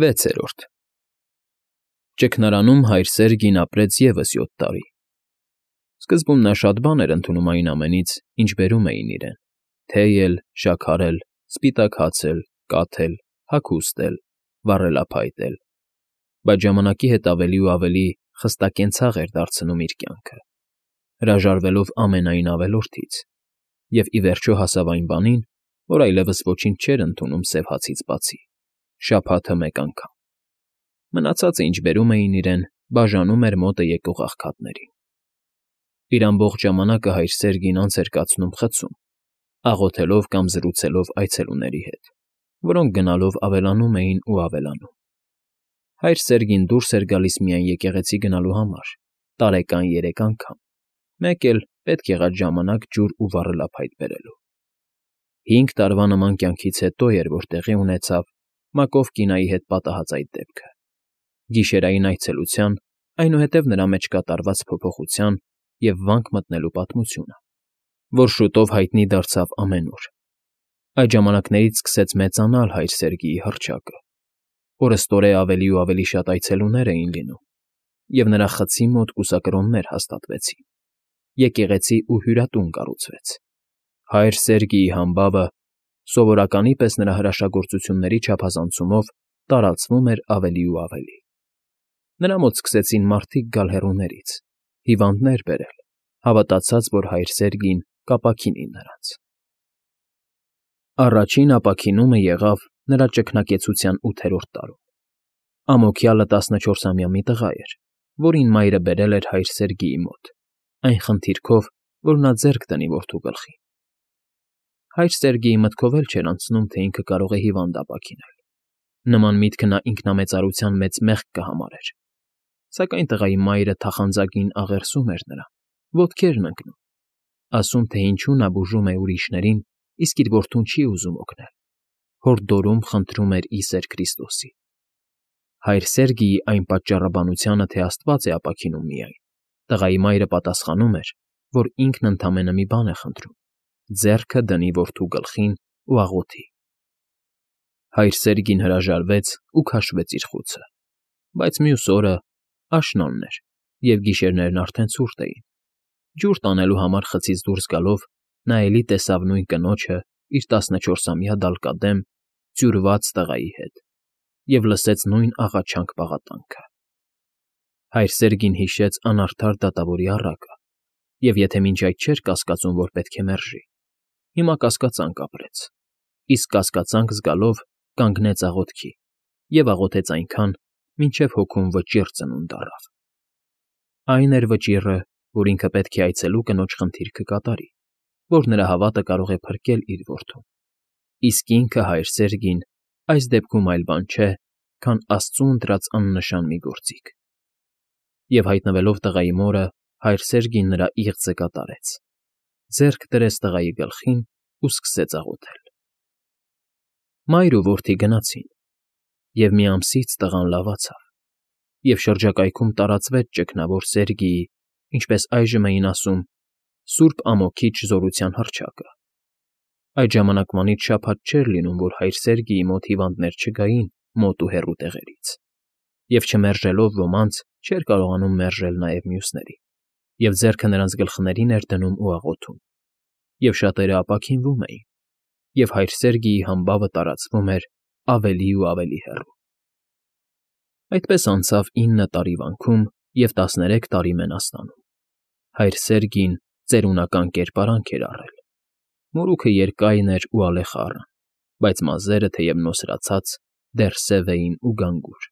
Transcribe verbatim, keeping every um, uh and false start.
Վեցերորդ Ճգնարանում հայր Սերգին ապրեց ևս յոթ տարի. սկզբում նա շատ բան էր ընդունում այն ամենից, ինչ բերում էին իրեն. թեյ էլ, շաքար էլ, սպիտակ հաց էլ, կաթ էլ, հագուստ էլ, վառելափայտ էլ, բայց ժամանակի հետ ավելի ու ավելի խստակենցաղ էր դարձնում իր կյանքը, հրաժարվելով ամենայն ավելորդից, և ի վերջո հասավ այն բանին, որ այլևս ոչինչ չէր ընդունում սև հացից բացի, շաբաթը մեկ անգամ. մնացածը, ինչ բերում էին իրեն, բաժանում էր մոտը եկող աղքատներին. իր ամբողջ ժամանակը հայր Սերգին անց էր կացնում խցում, աղոթելով կամ զրուցելով այցելուների հետ, որոնք գնալով ավելանում էին ու ավելանում. հայր Սերգին դուրս էր գալիս միայն եկեղեցի գնալու համար, տարեկան երեք անգամ, մեկ էլ պետք եղած ժամանակ ջուր ու վառելափայտ բերելու. հինգ տարվա նման կյանքից հետո էր, որ տեղի ունեցավ Մակով կինայի հետ պատահած այդ դեպքը, գիշերային այցելության, այնուհետև նրա մեջ կատարված փոփոխության և վանք մտնելու պատմությունը, որ շուտով հայտնի դարձավ ամենուր. այդ ժամանակներից սկսեց մեծանալ հայր Սերգիի հռչակը, օրըստօրե ավելի ու ավելի շատ այցելուներ էին լինում, և նրա խցի մոտ կուսակրոններ հաստատվեցին, եկեղեցի ու հյուրատուն կառուցվեց. հայր Սերգիի համբավը, սովորականի պես նրա հրաշագործությունների չափազանցումով, տարածվում էր ավելի ու ավելի. նրա մոտ սկսեցին մարդիկ գալ հեռուներից, հիվանդներ բերել, հավատացած, որ հայր Սերգին կապաքինի նրանց. Առաջին ապաքինումը եղավ նրա ճգնակեցության ութերորդ տարում. ամոթյալը տասնչորսամյա մի տղա էր, որին մայրը բերել էր հայր Սերգիի մոտ, այն խնդիրքով, որ նա ձեռք դնի որդու գլխին. հայր Սերգիի մտքով էլ չէր անցնում, թե ինքը կարող է հիվանդ ապաքինել. նման միտքը նա ինքնամեծարության մեծ մեղք կհամարեր, սակայն տղայի մայրը թախանձագին աղերսում էր նրան, ոտքերն ընկնում, ասում, թե ինչու նա բուժում է ուրիշներին, իսկ իր որդուն չի ուզում օգնել, հորդորում խնդրում էր ի սեր Քրիստոսի. հայր Սերգիի այն պատճառաբանությանը, թե Աստված է ապաքինում միայն, տղայի մայրը պատասխանում էր, որ ինքն ընդամենը մի բան է խնդրում. ձեռքը դնի որդու գլխին ու աղոթի. հայր Սերգին հրաժարվեց ու քաշվեց իր խուցը, բայց մյուս օրը, աշնանն էր, և գիշերներն արդեն ցուրտ էին, ջուր տանելու համար խցից դուրս գալով, նա էլի տեսավ նույն կնոջը իր տասնչորսամյա դալկադեմ, ծյուրված տղայի հետ և լսեց նույն աղաչանք֊պաղատանքը. հայր Սերգին հիշեց անարդար դատավորի առակը և եթե մինչ այդ չէր կասկածում, որ պետք է մերժի, հիմա կասկածանք ապրեց, իսկ կասկածանք զգալով կանգնեց աղոթքի և աղոթեց այնքան, մինչև հոգում վճիռ ծնունդ առավ. այն էր վճիռը, որ ինքը պետք է այցելու կնոջ խնդիրքը կատարի, որ նրա հավատը կարող է փրկել իր որդուն, իսկ ինքը հայր Սերգին այս դեպքում այլ բան չէ, քան Աստծու ընտրած աննշան մի գործիք. և հայտնվելով տղայի մորը, հայր Սերգին նրա իղձը կատարեց, ձեռք դրեց տղայի գլխին ու սկսեց աղոթել. մայր ու որդի գնացին, և մի ամսից տղան լավացավ, և շրջակայքում տարածվեց ճգնավոր Սերգիի, ինչպես այժմ էին ասում, Սուրբ Ամոքիչ զորության հռչակը. այդ ժամանակվանից շաբաթ չէր լինում, որ հայր Սերգիի մոտ հիվանդներ չգային մոտ ու հեռու տեղերից, և չմերժելով ոմանց, չէր կարողանում մերժել նաև մյուսների, և ձեռքը նրանց գլխներին էր դնում ու աղոթում, և շատերը ապաքինվում էին, և հայր Սերգիի համբավը տարածվում էր ավելի ու ավելի հեռու. այդպես անցավ ինը տարի վանքում և տասներեք տարի Մենաստանում. հայր Սերգին ծերունական կերպարանք էր առել, մորուքը երկայն էր ու ալեխառն, բայց մազերը, թեև նոսրացած, դեռ սև էին ու գանգուր,